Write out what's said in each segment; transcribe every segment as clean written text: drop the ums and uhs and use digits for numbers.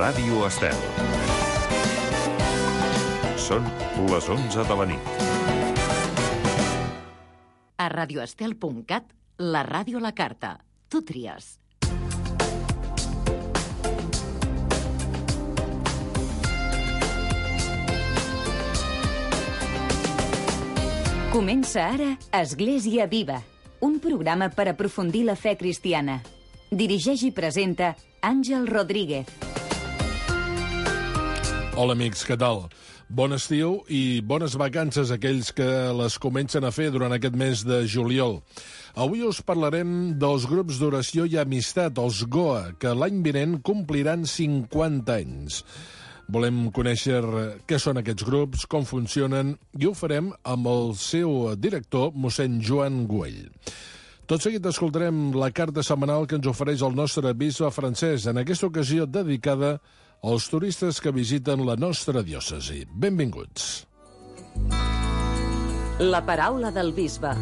Ràdio Estel. Són les 11 de la nit. A radioestel.cat, la ràdio a la carta. Tu tries. Comença ara Església Viva, un programa per aprofundir la fe cristiana. Dirigeix i presenta Àngel Rodríguez. Hola amics, què tal? Bon estiu i bones vacances a aquells que les comencen a fer durant aquest mes de juliol. Avui us parlarem dels grups d'oració i amistat, els GOA, que l'any vinent compliran 50 anys. Volem conèixer què són aquests grups, com funcionen, i ho farem amb el seu director, mossèn Joan Güell. Tot seguit escoltarem la carta setmanal que ens ofereix el nostre bisbe francès, en aquesta ocasió dedicada als turistes que visiten la nostra diòcesi. Benvinguts. La paraula del bisbe.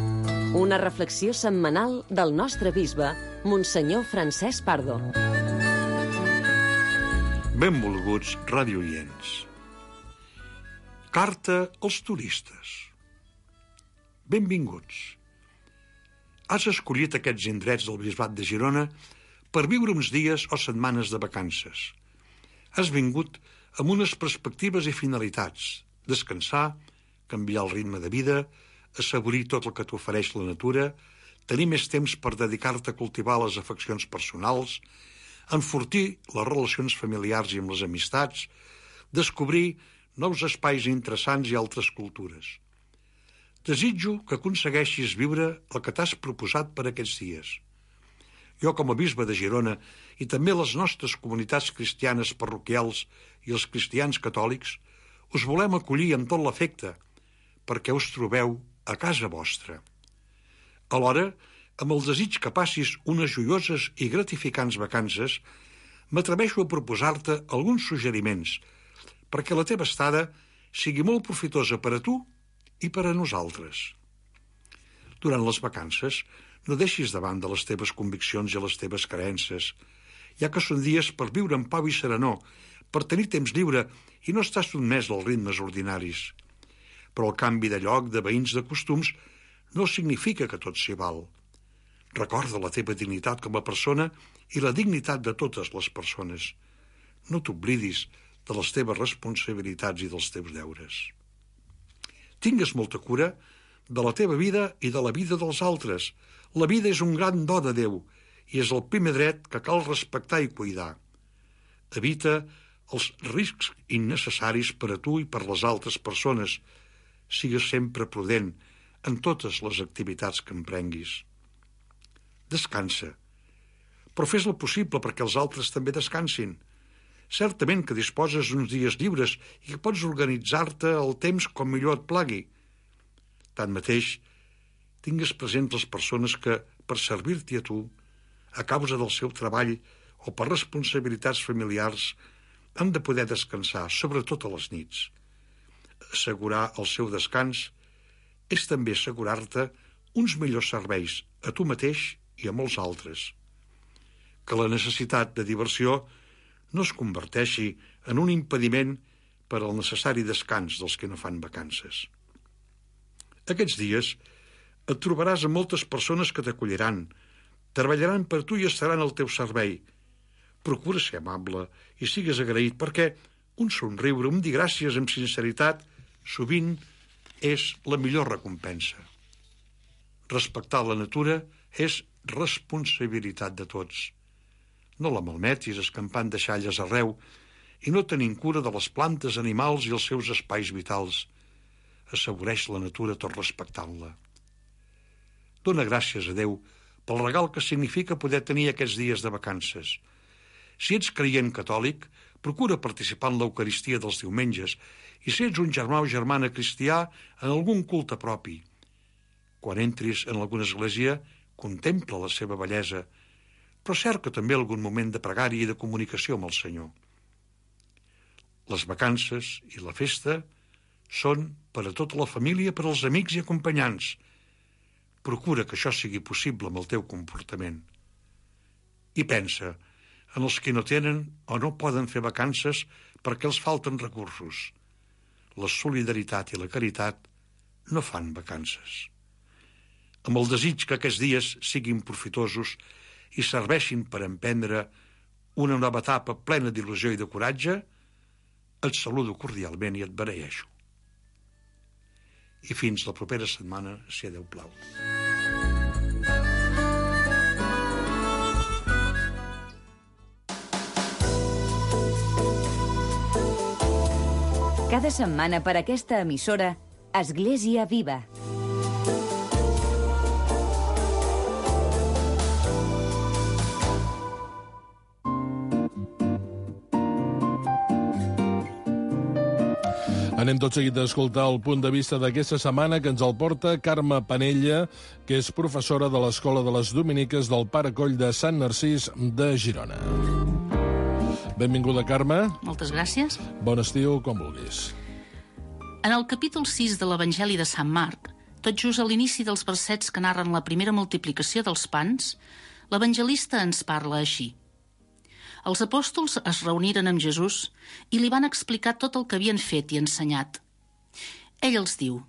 Una reflexió setmanal del nostre bisbe, Monsenyor Francesc Pardo. Benvolguts radiooients. Carta als turistes. Benvinguts. Has escollit aquests indrets del Bisbat de Girona per viure uns dies o setmanes de vacances. Has vingut amb unes perspectives i finalitats: descansar, canviar el ritme de vida, assaborir tot el que t'ofereix la natura, tenir més temps per dedicar-te a cultivar les afeccions personals, enfortir les relacions familiars i amb les amistats, descobrir nous espais interessants i altres cultures. Desitjo que aconsegueixis viure el que t'has proposat per aquests dies. Jo, com a bisbe de Girona, i també les nostres comunitats cristianes parroquials i els cristians catòlics, us volem acollir amb tot l'afecte, perquè us trobeu a casa vostra. Alhora, amb el desig que passis unes joioses i gratificants vacances, m'atreveixo a proposar-te alguns suggeriments perquè la teva estada sigui molt profitosa per a tu i per a nosaltres. Durant les vacances, no deixis de banda les teves conviccions i les teves creences, ja que són dies per viure en pau i serenor, per tenir temps lliure i no estar sotmès als ritmes ordinaris. Però el canvi de lloc, de veïns, de costums, no significa que tot s'hi val. Recorda la teva dignitat com a persona i la dignitat de totes les persones. No t'oblidis de les teves responsabilitats i dels teus deures. Tingues molta cura de la teva vida i de la vida dels altres. La vida és un gran do de Déu i és el primer dret que cal respectar i cuidar. Evita els riscs innecessaris per a tu i per les altres persones. Sigues sempre prudent en totes les activitats que emprenguis. Descansa, però fes el possible perquè els altres també descansin. Certament que disposes d'uns dies lliures i que pots organitzar-te el temps com millor et plagui. Tanmateix, tingues presents les persones que, per servir-t'hi a tu, a causa del seu treball o per responsabilitats familiars, han de poder descansar, sobretot a les nits. Assegurar el seu descans és també assegurar-te uns millors serveis a tu mateix i a molts altres. Que la necessitat de diversió no es converteixi en un impediment per al necessari descans dels que no fan vacances. Aquests dies et trobaràs amb moltes persones que t'acolliran, treballaran per tu i estaran al teu servei. Procura ser amable i sigues agraït perquè un somriure, un dir gràcies amb sinceritat, sovint és la millor recompensa. Respectar la natura és responsabilitat de tots. No la malmetis escampant deixalles arreu i no tenint cura de les plantes, animals i els seus espais vitals. Assaboreix la natura tot respectant-la. Dóna gràcies a Déu pel regal que significa poder tenir aquests dies de vacances. Si ets creient catòlic, procura participar en l'Eucaristia dels diumenges i si ets un germà o germana cristià, en algun culte propi. Quan entris en alguna església, contempla la seva bellesa, però cerca també algun moment de pregària i de comunicació amb el Senyor. Les vacances i la festa són per a tota la família, per als amics i acompanyants. Procura que això sigui possible amb el teu comportament. I pensa, en els que no tenen o no poden fer vacances perquè els falten recursos. La solidaritat i la caritat no fan vacances. Amb el desig que aquests dies siguin profitosos i serveixin per emprendre una nova etapa plena d'il·lusió i de coratge, et saludo cordialment i et beneeixo. I fins la propera setmana, si a Déu plau. Cada setmana per aquesta emissora, Església Viva. Anem tot seguit a escoltar el punt de vista d'aquesta setmana que ens el porta Carme Panella, que és professora de l'Escola de les Dominiques del Pare Coll de Sant Narcís de Girona. Benvinguda, Carme. Moltes gràcies. Bon estiu, com vulguis. En el capítol 6 de l'Evangeli de Sant Marc, tot just a l'inici dels versets que narren la primera multiplicació dels pans, l'evangelista ens parla així. Els apòstols es reuniren amb Jesús i li van explicar tot el que havien fet i ensenyat. Ell els diu: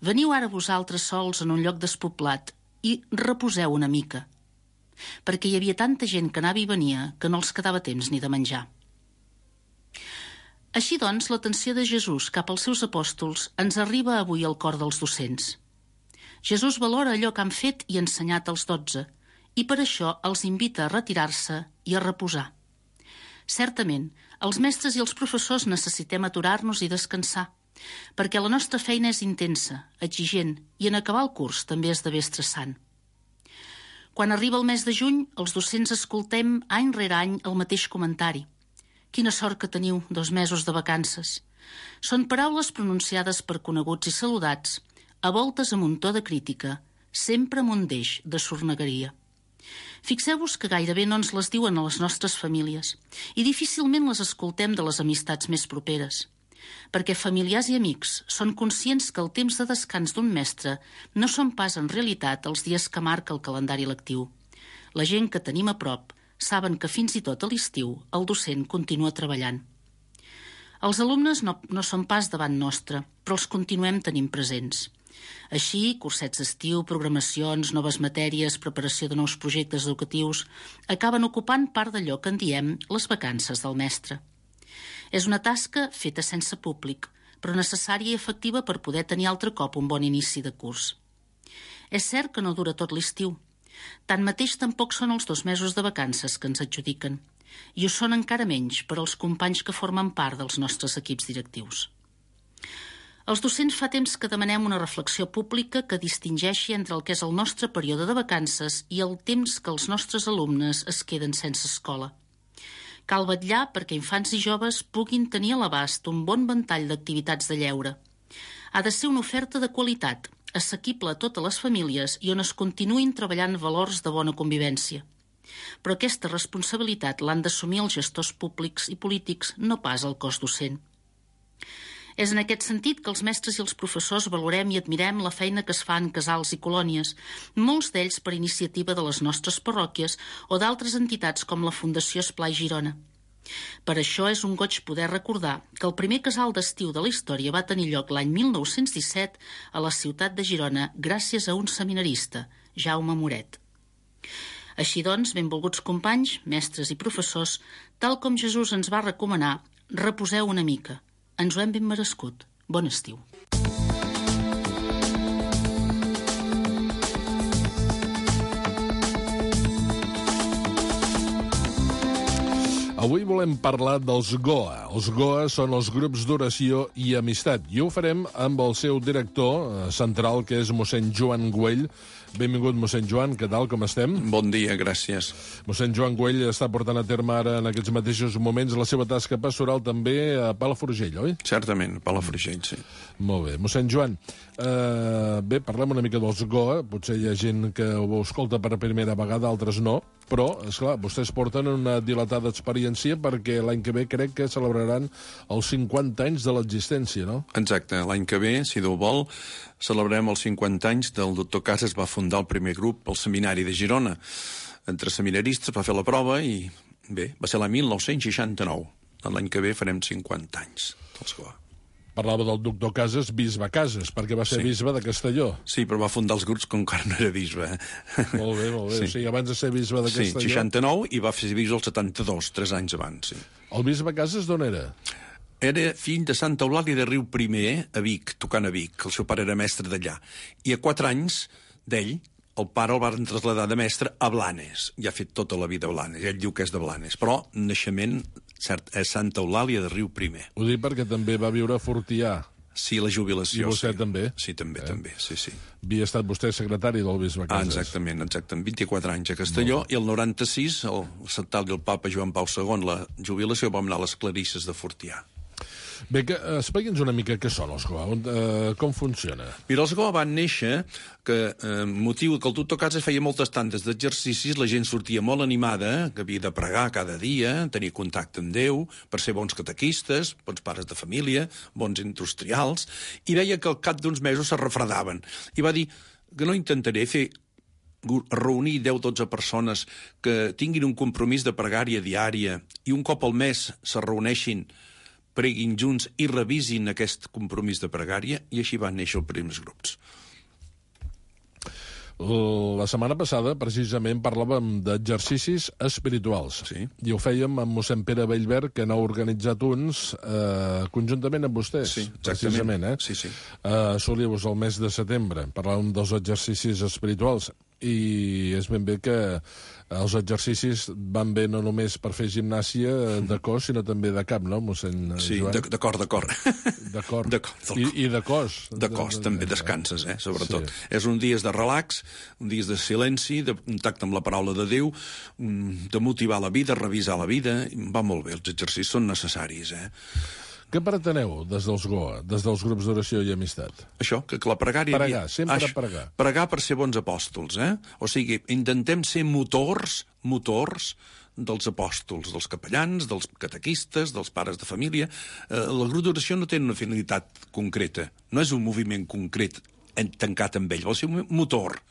«Veniu ara vosaltres sols en un lloc despoblat i reposeu una mica», perquè hi havia tanta gent que anava i venia que no els quedava temps ni de menjar. Així doncs, l'atenció de Jesús cap als seus apòstols ens arriba avui al cor dels docents. Jesús valora allò que han fet i ensenyat als 12, i per això els invita a retirar-se i a reposar. Certament, els mestres i els professors necessitem aturar-nos i descansar, perquè la nostra feina és intensa, exigent, i en acabar el curs també esdevé estressant. Quan arriba el mes de juny, els docents escoltem any rere any el mateix comentari. Quina sort que teniu 2 mesos de vacances. Són paraules pronunciades per coneguts i saludats, a voltes amb un to de crítica, sempre amb un deix de sornegueria. Fixeu-vos que gairebé no ens les diuen a les nostres famílies i difícilment les escoltem de les amistats més properes, perquè familiars i amics són conscients que el temps de descans d'un mestre no són pas en realitat els dies que marca el calendari lectiu. La gent que tenim a prop saben que fins i tot a l'estiu el docent continua treballant. Els alumnes no són pas davant nostre, però els continuem tenint presents. Així, cursets d'estiu, programacions, noves matèries, preparació de nous projectes educatius, acaben ocupant part d'allò que en diem les vacances del mestre. És una tasca feta sense públic, però necessària i efectiva per poder tenir altre cop un bon inici de curs. És cert que no dura tot l'estiu. Tanmateix tampoc són els 2 mesos de vacances que ens adjudiquen, i ho són encara menys per als companys que formen part dels nostres equips directius. Els docents fa temps que demanem una reflexió pública que distingeixi entre el que és el nostre període de vacances i el temps que els nostres alumnes es queden sense escola. Cal vetllar perquè infants i joves puguin tenir a l'abast un bon ventall d'activitats de lleure. Ha de ser una oferta de qualitat, assequible a totes les famílies i on es continuïn treballant valors de bona convivència. Però aquesta responsabilitat l'han d'assumir els gestors públics i polítics, no pas el cos docent. És en aquest sentit que els mestres i els professors valorem i admirem la feina que es fa en casals i colònies, molts d'ells per iniciativa de les nostres parròquies o d'altres entitats com la Fundació Esplai Girona. Per això és un goig poder recordar que el primer casal d'estiu de la història va tenir lloc l'any 1917 a la ciutat de Girona gràcies a un seminarista, Jaume Moret. Així doncs, benvolguts companys, mestres i professors, tal com Jesús ens va recomanar, reposeu una mica. Ens ho hem ben merescut. Bon estiu. Avui volem parlar dels GOA. Els GOA són els grups d'oració i amistat. I ho farem amb el seu director central, que és mossèn Joan Güell. Benvingut, mossèn Joan, què tal, com estem? Bon dia, gràcies. Mossèn Joan Güell està portant a terme ara, en aquests mateixos moments, la seva tasca pastoral també a Palafrugell, oi? Certament, a Palafrugell, sí. Molt bé. Mossèn Joan, bé, parlem una mica dels GOA. Potser hi ha gent que ho escolta per primera vegada, altres no, però, esclar, vostès porten una dilatada experiència perquè l'any que ve crec que celebraran els 50 anys de l'existència, no? Exacte. L'any que ve, si Déu vol, celebrem els 50 anys del doctor Casas. Es va fundar el primer grup al seminari de Girona. Entre seminaristes va fer la prova i Bé, va ser l'any 1969. L'any que ve farem 50 anys dels Goa. Parlava del doctor Casas, bisbe Casas, perquè va ser bisbe de Castelló. Sí, però va fundar els grups com encara no era bisbe. Molt bé, molt bé. Sí. O sigui, abans de ser bisbe de Castelló... Sí, 69 i va fer bisbe el 72, 3 anys abans, sí. El bisbe Casas d'on era? Era fill de Santa Eulàlia de Riu I, a Vic, tocant a Vic. El seu pare era mestre d'allà. I a 4 anys d'ell, el pare el van traslladar de mestre a Blanes. I ha fet tota la vida a Blanes. Ell diu que és de Blanes. Però, naixement, cert, és Santa Eulàlia de Riu I. Ho dic perquè també va viure a Fortià. Sí, la jubilació. I vostè sí. també? Sí, també, també, sí. Havia estat vostè secretari del bisbe Casas. Exactament. 24 anys a Castelló, i el 96, el Santal i el papa Joan Pau II, la jubilació, vam anar a les Clarisses de Fortià. Bé, expliqui'ns una mica què són els Goa, com funciona. Mira, els Goa van néixer que, motiu que el doctor Casas feia moltes tantes d'exercicis, la gent sortia molt animada, que havia de pregar cada dia, tenir contacte amb Déu, per ser bons catequistes, bons pares de família, bons industrials, i veia que al cap d'uns mesos se refredaven. I va dir que no intentaré reunir 10-12 persones que tinguin un compromís de pregària diària i un cop al mes se reuneixin, preguin junts i revisin aquest compromís de pregària, i així van néixer els primers grups. La setmana passada, precisament, parlàvem d'exercicis espirituals. Sí. I ho fèiem amb mossèn Pere Bellver, que n'ha organitzat uns conjuntament amb vostès. Sí, precisament. Sí. Solíeu-vos el mes de setembre. Parlàvem dels exercicis espirituals. I és ben bé que els exercicis van bé no només per fer gimnàsia de cos, sinó també de cap, no, mossèn Sí, Joan? d'acord. I de cos. De cos, també descanses, sobretot. Sí. És un dies de relax, un dies de silenci, de contacte amb la paraula de Déu, de motivar la vida, revisar la vida. Va molt bé, els exercicis són necessaris, Què preteneu des dels Goa, des dels grups d'oració i amistat? Això, que la pregària... Pregar, sempre pregar. Pregar per ser bons apòstols, O sigui, intentem ser motors dels apòstols, dels capellans, dels catequistes, dels pares de família. El grup d'oració no té una finalitat concreta, no és un moviment concret tancat amb ell, vol ser un motor,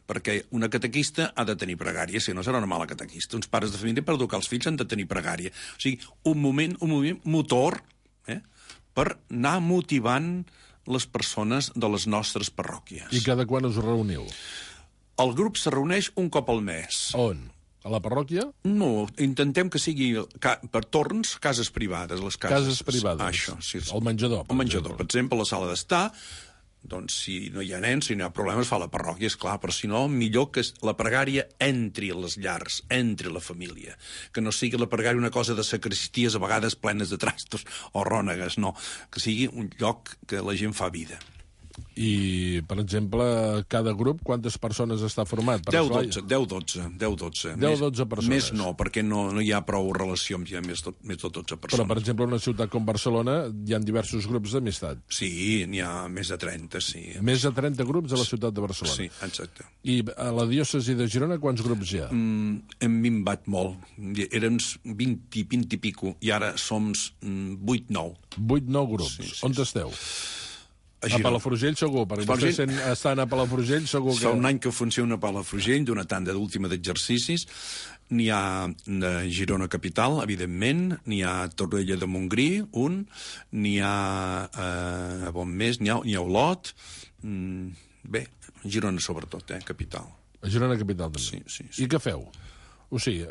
perquè una catequista ha de tenir pregària, si no serà una mala catequista. Uns pares de família per educar els fills han de tenir pregària. O sigui, un moviment motor, per anar motivant les persones de les nostres parròquies. I cada quan us reuniu? El grup se reuneix un cop al mes. On? A la parròquia? No, intentem que sigui per torns, cases privades. Les cases privades. Això, sí. El menjador. El menjador, per exemple, la sala d'estar. Doncs si no hi ha nens, si no hi ha problemes, fa la parròquia, esclar, però si no, millor que la pregària entri a les llars, entri a la família, que no sigui la pregària una cosa de sacristies a vegades plenes de trastos o rònegues, no, que sigui un lloc que la gent fa vida. I, per exemple, cada grup, quantes persones està format? 10-12. 10-12 persones. Més no, perquè no hi ha prou relació amb més de 12 persones. Però, per exemple, en una ciutat com Barcelona hi ha diversos grups d'amistat. Sí, n'hi ha més de 30, sí. Més de 30 grups a la ciutat de Barcelona. Sí, exacte. I a la diòcesi de Girona quants grups hi ha? Hem minvat molt. Érem 20 i pico, i ara som 8-9. 8-9 grups. Sí. On esteu? A Palafrugell segur, perquè vostès estan a Palafrugell segur que... Fa un any que funciona a Palafrugell, d'una tanda d'última d'exercicis. N'hi ha de Girona Capital, evidentment, n'hi ha a Torroella de Montgrí, n'hi ha a on més, n'hi ha a Olot, bé, Girona sobretot, capital. A Girona Capital també. Sí. I què feu? O sigui,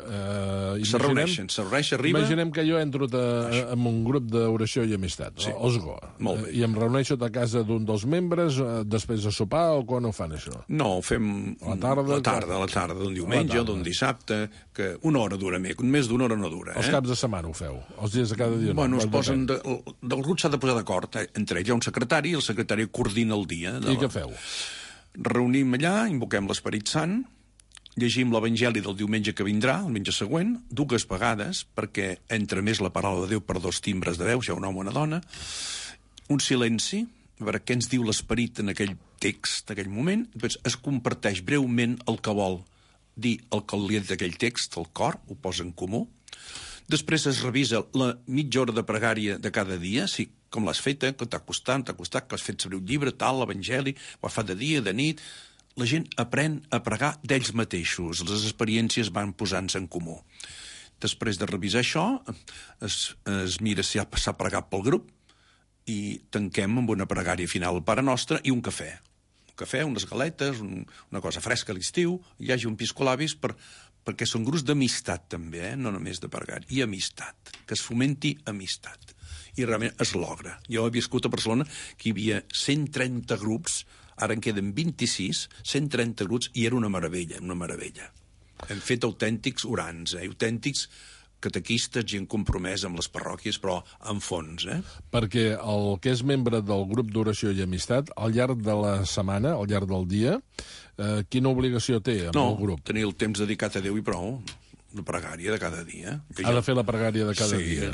se reuneixen, arriba... Imaginem que jo entro en un grup d'oració i amistat, els Goa. Molt bé. I em reuneixo a casa d'un dels membres, després de sopar, o quan ho fan, això? No, ho fem a la tarda, d'un diumenge, d'un dissabte, que una hora dura més d'una hora no dura. Els caps de setmana ho feu? Els dies de cada dia? Bueno, es posen... Del grup s'ha de posar d'acord, entre ells hi ha un secretari, i el secretari coordina el dia. I què feu? Reunim allà, invoquem l'Esperit Sant, llegim l'Evangeli del diumenge que vindrà, el diumenge següent, 2 vegades, perquè entra més la paraula de Déu per 2 timbres de veu, si hi ha un home o una dona, un silenci, a veure què ens diu l'Esperit en aquell text, en aquell moment, després es comparteix breument el que vol dir el que li ha dit aquell text, el cor, ho posa en comú, després es revisa la mitja hora de pregària de cada dia, si com l'has feta, que t'ha costat, que has fet sobre un llibre, tal, l'Evangeli, ho has fet de dia, de nit... La gent aprèn a pregar d'ells mateixos, les experiències van posant-se en comú. Després de revisar això, es mira si s'ha pregat pel grup i tanquem amb una pregària final al Pare Nostre i un cafè. Un cafè, unes galetes, una cosa fresca a l'estiu, hi hagi un piscolabis perquè són grups d'amistat també, no només de pregària, i amistat, que es fomenti amistat. I realment es logra. Jo he viscut a Barcelona que hi havia 130 grups, ara en queden 26, 130 grups, i era una meravella, una meravella. Hem fet autèntics orants, autèntics catequistes, gent compromesa amb les parròquies, però en fons. Perquè el que és membre del grup d'oració i amistat, al llarg de la setmana, al llarg del dia, quina obligació té amb el grup? No, tenir el temps dedicat a Déu i prou, la pregària de cada dia. Ha de fer la pregària de cada dia.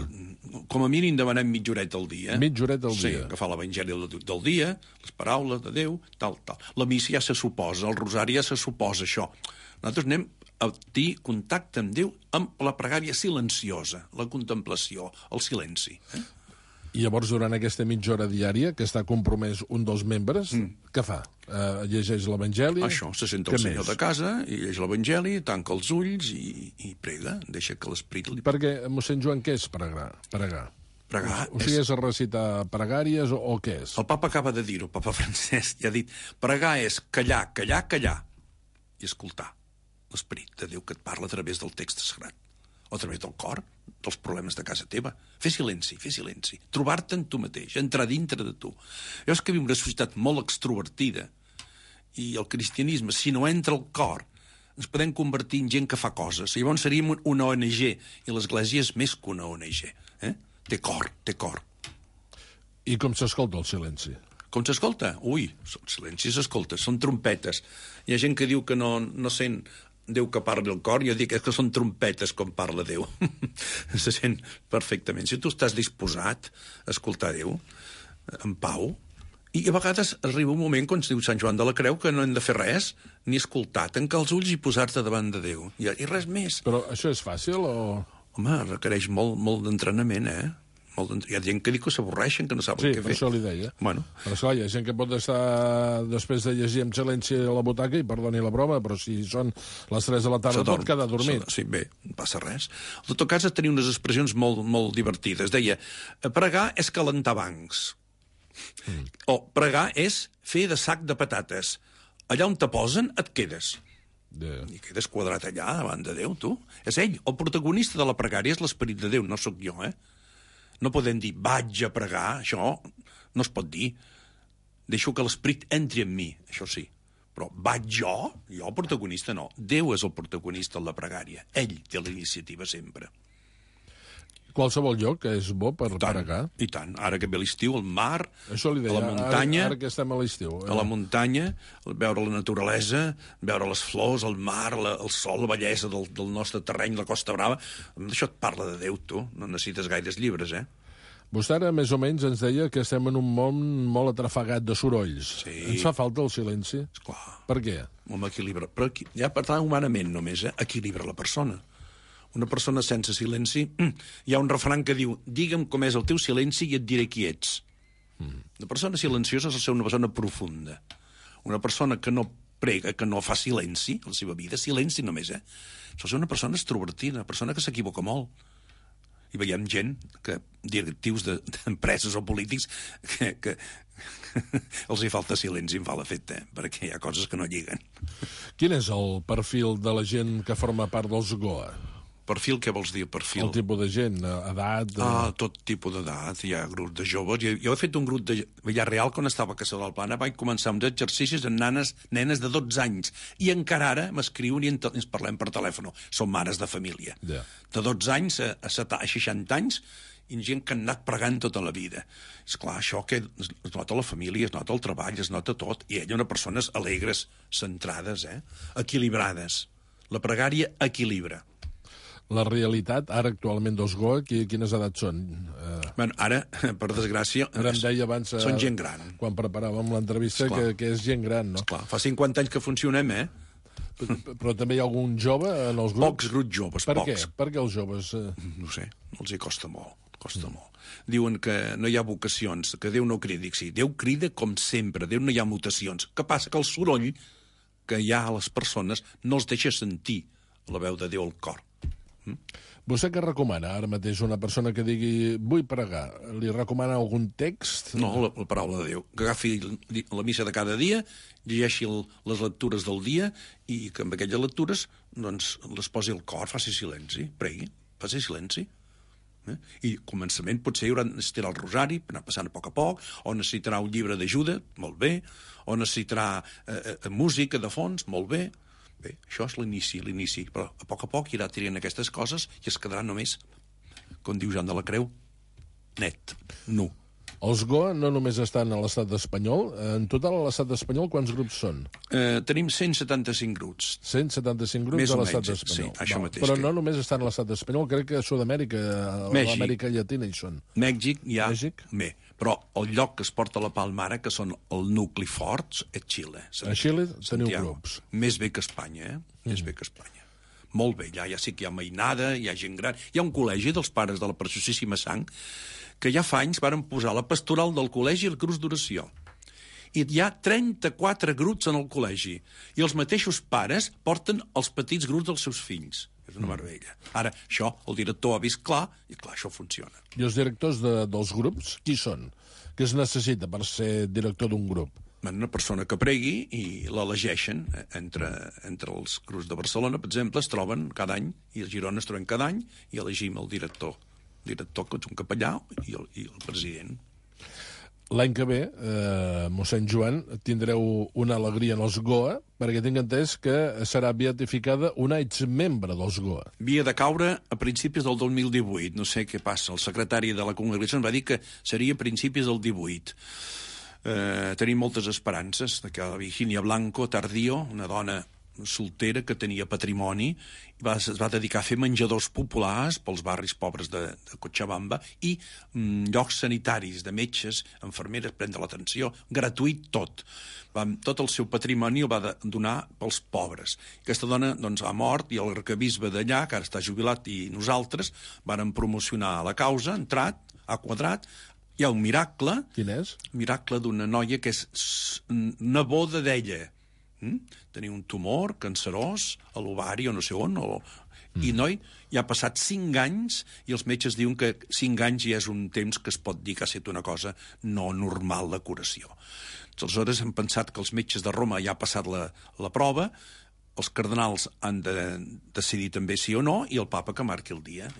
Com a mínim demanem mitja horeta al dia. Mitja horeta al dia. Sí, agafar l'Evangeli del dia, les paraules de Déu, tal. La missa ja se suposa, el rosari ja se suposa, això. Nosaltres anem a tenir contacte amb Déu amb la pregària silenciosa, la contemplació, el silenci. I llavors, durant aquesta mitja hora diària, que està compromès un dels membres, què fa? Llegeix l'Evangeli? Això, se senta el senyor de casa, i llegeix l'Evangeli, tanca els ulls i prega, deixa que l'esperit li... Perquè, mossèn Joan, què és pregar? Pregar o sigui, és recitar pregàries o què és? El papa acaba de dir-ho, el papa Francesc, ja ha dit, pregar és callar, callar, callar, i escoltar l'esperit de Déu que et parla a través del text sagrat, o a través del cor, dels problemes de casa teva. Fer silenci, trobar-te en tu mateix, entrar dintre de tu. Jo és que viu una societat molt extrovertida, i el cristianisme, si no entra al cor, ens podem convertir en gent que fa coses. Llavors seríem una ONG, i l'Església és més que una ONG. Té cor. I com s'escolta el silenci? Com s'escolta? Ui, el silenci s'escolta, són trompetes. Hi ha gent que diu que no sent Déu que parli al cor, jo dic que són trompetes com parla Déu. Se sent perfectament. Si tu estàs disposat a escoltar Déu, en pau, i a vegades arriba un moment, quan es diu Sant Joan de la Creu, que no hem de fer res, ni escoltar, tancar els ulls i posar-te davant de Déu. I res més. Però això és fàcil o...? Home, requereix molt d'entrenament, Hi ha gent que diu que s'avorreixen, que no saben què fer. Sí, per això li deia. Bueno. Però esclar, hi ha gent que pot estar després de llegir amb silenci a la butaca, i perdoni la broma, però si són les 3 de la tarda pot quedar dormit. Sí, bé, no passa res. En tot cas, tenia unes expressions molt divertides. Deia, pregar és calentar bancs. O pregar és fer de sac de patates. Allà on te posen, et quedes. I quedes quadrat allà, davant de Déu, tu. És ell. El protagonista de la pregària és l'esperit de Déu, no sóc jo, No podem dir, vaig a pregar, això no es pot dir. Deixo que l'esperit entri en mi, això sí. Però vaig jo el protagonista no. Déu és el protagonista en la pregària. Ell té la iniciativa sempre. Qualsevol lloc és bo per pregar? I tant. Ara que ve l'estiu, al mar, això li deia, a la muntanya... Ara que estem a l'estiu. A la muntanya, veure la naturalesa, veure les flors, el mar, el sol, la bellesa del nostre terreny, la Costa Brava... Això et parla de Déu, tu. No necessites gaires llibres, Vostè ara, més o menys, ens deia que estem en un món molt atrafegat de sorolls. Sí. Ens fa falta el silenci? Esclar. Per què? Home, equilibra. Però ja parlant humanament només, equilibra la persona. Una persona sense silenci... Hi ha un refrany que diu, digue'm com és el teu silenci i et diré qui ets. Una persona silenciosa és ser una persona profunda. Una persona que no prega, que no fa silenci a la seva vida, silenci només, Sol ser una persona extrovertida, una persona que s'equivoca molt. I veiem gent, directius d'empreses o polítics, que els hi falta silenci, em fa l'efecte, perquè hi ha coses que no lliguen. Quin és el perfil de la gent que forma part dels GOA? Perfil, què vols dir, perfil? El tipus de gent, edat... Tot tipus d'edat, hi ha grups de joves. Jo he fet un grup de Villarreal quan estava a Caçador del Plana, vaig començar uns exercicis amb nenes de 12 anys, i encara ara m'escriuen i ens parlem per telèfon. Són mares de família. De 12 anys a 60 anys, i gent que han anat pregant tota la vida. Esclar, això que es nota la família, es nota el treball, es nota tot, i ella una persones alegres, centrades, equilibrades. La pregària equilibra. La realitat, ara actualment dels GOA, quines edats són? Bueno, ara, per desgràcia, ara em deia abans, són gent gran. Quan preparàvem l'entrevista, que és gent gran, no? Esclar, fa 50 anys que funcionem, Però també hi ha algun jove en els grups? Pocs grups joves, per pocs. Què? Per què els joves... No sé, els hi costa molt. Diuen que no hi ha vocacions, que Déu no crida. Sí, Déu crida com sempre, Déu no hi ha mutacions. Què passa? Que el soroll que hi ha a les persones no els deixa sentir la veu de Déu al cor. Vostè què recomana ara mateix una persona que digui vull pregar? Li recomana algun text? No, la paraula de Déu. Que agafi la missa de cada dia, llegeixi les lectures del dia i que amb aquelles lectures doncs, les posi al cor, faci silenci, pregui, faci silenci. I al començament potser necessitarà el rosari, anar passant a poc, o necessitarà un llibre d'ajuda, molt bé, o necessitarà música de fons, molt bé. Bé, això és l'inici, però a poc irà tirant aquestes coses i es quedarà només, com diu Joan de la Creu, net, nu. Els GOA no només estan a l'estat espanyol. En total, a l'estat espanyol, quants grups són? Tenim 175 grups. 175 grups a l'estat espanyol. Sí, això mateix. Però no només estan a l'estat espanyol, crec que a Sud-amèrica, a l'Amèrica Llatina hi són. Mèxic hi ha bé, però el lloc que es porta la palma ara, que són el nucli forts, és Xile. A Xile teniu grups. Més bé que Espanya, Més bé que Espanya. Molt bé, ja sí que hi ha mainada, hi ha gent gran. Hi ha un col·legi dels pares de la Preciosíssima Sang que ja fa anys varen posar la pastoral del col·legi i el cruz d'oració. I hi ha 34 grups en el col·legi. I els mateixos pares porten els petits grups dels seus fills. És una meravella. Ara, això, el director ha vist clar, i clar, això funciona. I els directors dels grups, qui són? Què es necessita per ser director d'un grup? Una persona que pregui i l'elegeixen entre els grups de Barcelona, per exemple, es troben cada any, i a Girona es troben cada any, i elegim el director que és un capellà i el president. L'any que ve, mossèn Joan, tindreu una alegria en els GOA, perquè tinc entès que serà beatificada una exmembre dels GOA. Havia de caure a principis del 2018, no sé què passa. El secretari de la congregació em va dir que seria a principis del 18. Tenim moltes esperances de que la Virginia Blanco Tardío, una dona soltera que tenia patrimoni, es va dedicar a fer menjadors populars pels barris pobres de Cochabamba i llocs sanitaris de metges, infermeres, prendre l'atenció, gratuït tot. Tot el seu patrimoni el va donar pels pobres. Aquesta dona doncs, ha mort i el arquebisbe d'allà, que ara està jubilat, i nosaltres vàrem promocionar la causa, ha quadrat. Hi ha un miracle. Quin és? Miracle d'una noia que és neboda d'ella. Tenia un tumor cancerós a l'ovari o no sé on, i noi, ja ha passat 5 anys i els metges diuen que 5 anys ja és un temps que es pot dir que ha estat una cosa no normal de curació. Aleshores hem pensat que els metges de Roma ja ha passat la prova, els cardenals han de decidir també sí o no, i el papa que marqui el dia.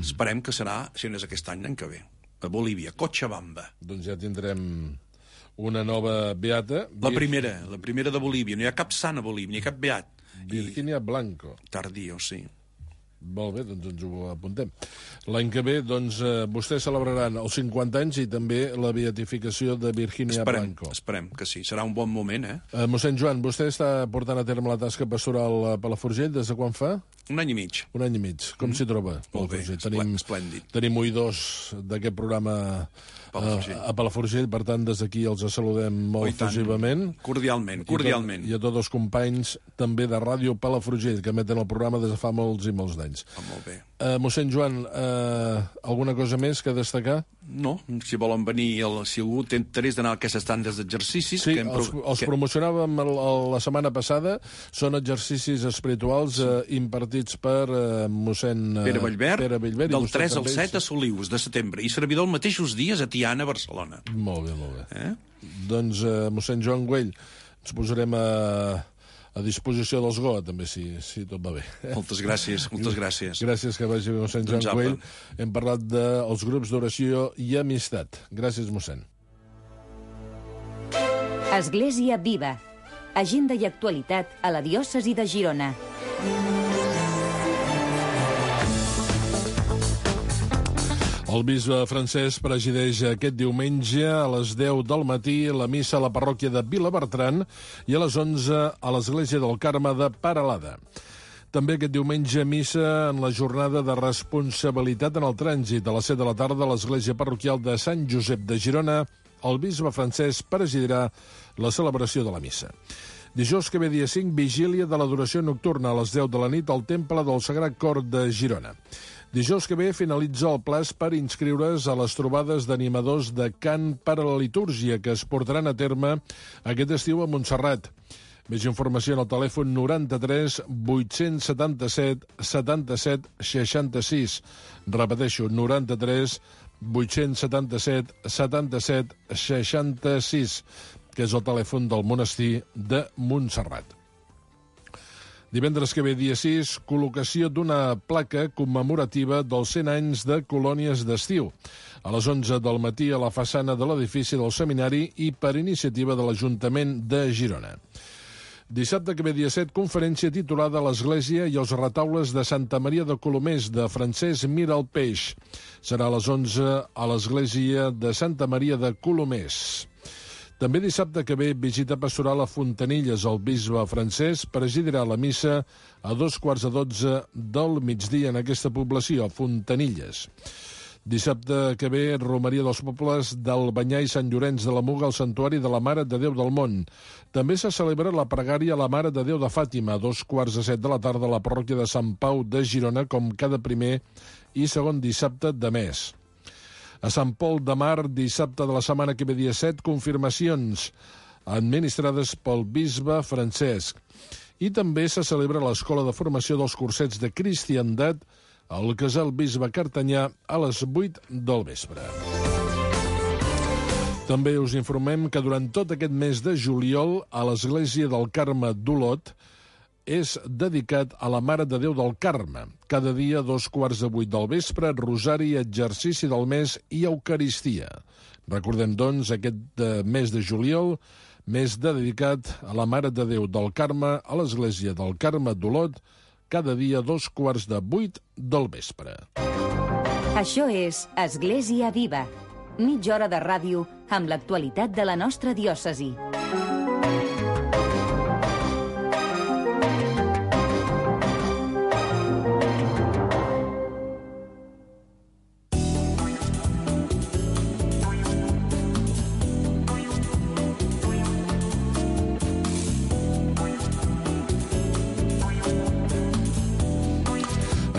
Esperem que serà, si no és aquest any, l'any que ve, a Bolívia, Cochabamba. Doncs ja tindrem una nova beata. La primera de Bolívia. No hi ha cap sant a Bolívia, ni cap beat. Virginia Blanco. Tardío, sí. Molt bé, doncs ens ho apuntem. L'any que ve, doncs, vostès celebraran els 50 anys i també la beatificació de Virginia Blanco. Esperem que sí. Serà un bon moment, Mossèn Joan, vostè està portant a terme la tasca pastoral a Palafrugell des de quan fa? Un any i mig. Un any i mig. Com s'hi troba? Molt bé, esplèndid. Tenim oïdors d'aquest programa a Palafrugell, per tant, des d'aquí els saludem molt efusivament. Cordialment. I a tots els companys també de Ràdio Palafrugell, que emeten el programa des de fa molts i molts d'anys. Molt bé. Mossèn Joan, alguna cosa més que destacar? No, si volen venir, si algú té interès d'anar a aquestes tandes d'exercicis... Sí, els promocionàvem la setmana passada, són exercicis espirituals impartits per mossèn Pere Bellver, del 3 al 7 a Solius de setembre, i servidor els mateixos dies a Tiana, Barcelona. Molt bé. Doncs, mossèn Joan Güell, ens posarem a disposició dels GOA, també, si tot va bé. Moltes gràcies. Gràcies que vagi mossèn Joan Güell. Hem parlat dels grups d'oració i amistat. Gràcies, mossèn. Església Viva. Agenda i actualitat a la diòcesi de Girona. El bisbe francès presideix aquest diumenge a les 10 del matí la missa a la parròquia de Vilabertran i a les 11 a l'Església del Carme de Peralada. També aquest diumenge missa en la jornada de responsabilitat en el trànsit a les 7 de la tarda a l'Església parroquial de Sant Josep de Girona. El bisbe francès presidirà la celebració de la missa. Dijous que ve dia 5, vigília de l'adoració nocturna a les 10 de la nit al Temple del Sagrat Cor de Girona. Dijous que ve finalitza el plaç per inscriure's a les trobades d'animadors de cant per a la litúrgia que es portaran a terme aquest estiu a Montserrat. Més informació en el telèfon 93 877 77 66. Repeteixo, 93 877 77 66, que és el telèfon del monestir de Montserrat. Divendres que ve, dia 6, col·locació d'una placa commemorativa dels 100 anys de colònies d'estiu. A les 11 del matí a la façana de l'edifici del seminari i per iniciativa de l'Ajuntament de Girona. Dissabte que ve, dia 7, conferència titulada l'Església i els retaules de Santa Maria de Colomers, de Francesc Mira el Peix. Serà a les 11 a l'Església de Santa Maria de Colomers. També dissabte que ve, visita pastoral a Fontanilles. El bisbe Francesc presidirà la missa a 12:15 del migdia en aquesta població, a Fontanilles. Dissabte que ve, romeria dels pobles d'Albanyà i Sant Llorenç de la Muga al Santuari de la Mare de Déu del Mont. També se celebra la pregària a la Mare de Déu de Fàtima, a 2:15 de la tarda a la parròquia de Sant Pau de Girona, com cada primer i segon dissabte de mes. A Sant Pol de Mar, dissabte de la setmana que ve, dia 7, confirmacions administrades pel bisbe Francesc. I també se celebra l'Escola de Formació dels Cursets de Cristiandat al Casal Bisbe Cartanyà a les 8 del vespre. També us informem que durant tot aquest mes de juliol a l'Església del Carme d'Olot és dedicat a la Mare de Déu del Carme. Cada dia, a 7:15 del vespre, rosari, exercici del mes i eucaristia. Recordem, doncs, aquest mes de juliol, mes dedicat a la Mare de Déu del Carme a l'Església del Carme d'Olot, cada dia a 7:15 del vespre. Això és Església Viva, mitja hora de ràdio amb l'actualitat de la nostra diòcesi.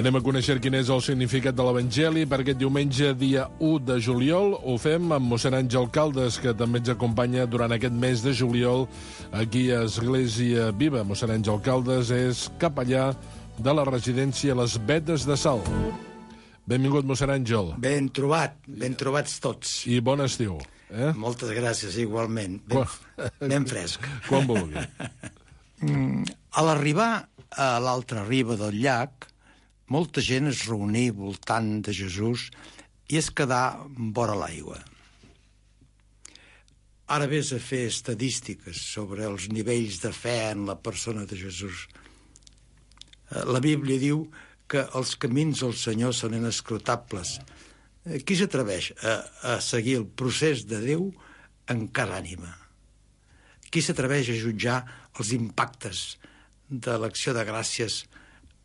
Anem a conèixer quin és el significat de l'Evangeli per aquest diumenge, dia 1 de juliol. Ho fem amb mossèn Àngel Caldes, que també ens acompanya durant aquest mes de juliol aquí a Església Viva. Mossèn Àngel Caldes és capellà de la residència Les Vetes de Salt. Benvingut, mossèn Àngel. Ben trobats tots. I bon estiu. Moltes gràcies, igualment. Ben fresc. Quan vulgui. A l'arribar a l'altra riba del llac, molta gent es reuní voltant de Jesús i es quedà vora l'aigua. Ara vés a fer estadístiques sobre els nivells de fe en la persona de Jesús. La Bíblia diu que els camins del Senyor són inescrutables. Qui s'atreveix a seguir el procés de Déu en cada ànima? Qui s'atreveix a jutjar els impactes de l'acció de gràcies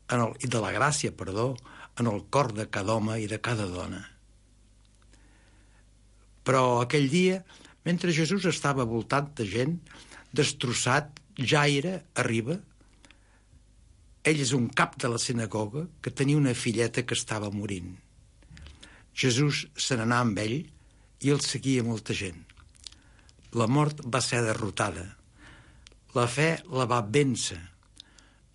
i de la gràcia, en el cor de cada home i de cada dona? Però aquell dia, mentre Jesús estava voltant de gent, destrossat, Jaire arriba. Ell és un cap de la sinagoga que tenia una filleta que estava morint. Jesús se n'anà amb ell i el seguia molta gent. La mort va ser derrotada. La fe la va vèncer.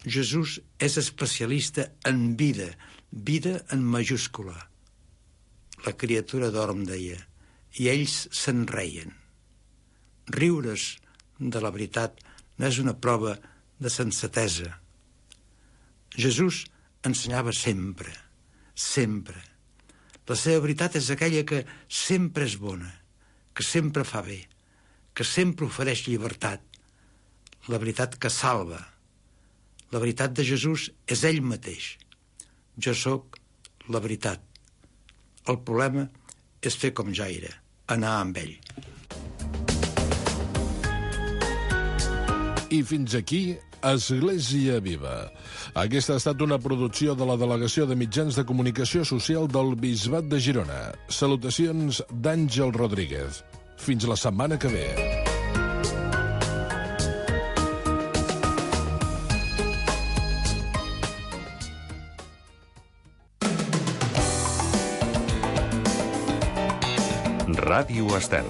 Jesús és especialista en vida, vida en majúscula. La criatura dorm, deia, i ells se'n reien. Riure's de la veritat no és una prova de sensatesa. Jesús ensenyava sempre, sempre. La seva veritat és aquella que sempre és bona, que sempre fa bé, que sempre ofereix llibertat. La veritat que salva. La veritat de Jesús és ell mateix. Jo sóc la veritat. El problema és fer com Jaire, anar amb ell. I fins aquí, Església Viva. Aquesta ha estat una producció de la Delegació de Mitjans de Comunicació Social del Bisbat de Girona. Salutacions d'Àngel Rodríguez. Fins la setmana que ve. Ràdio Estel.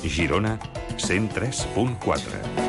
Girona 103.4.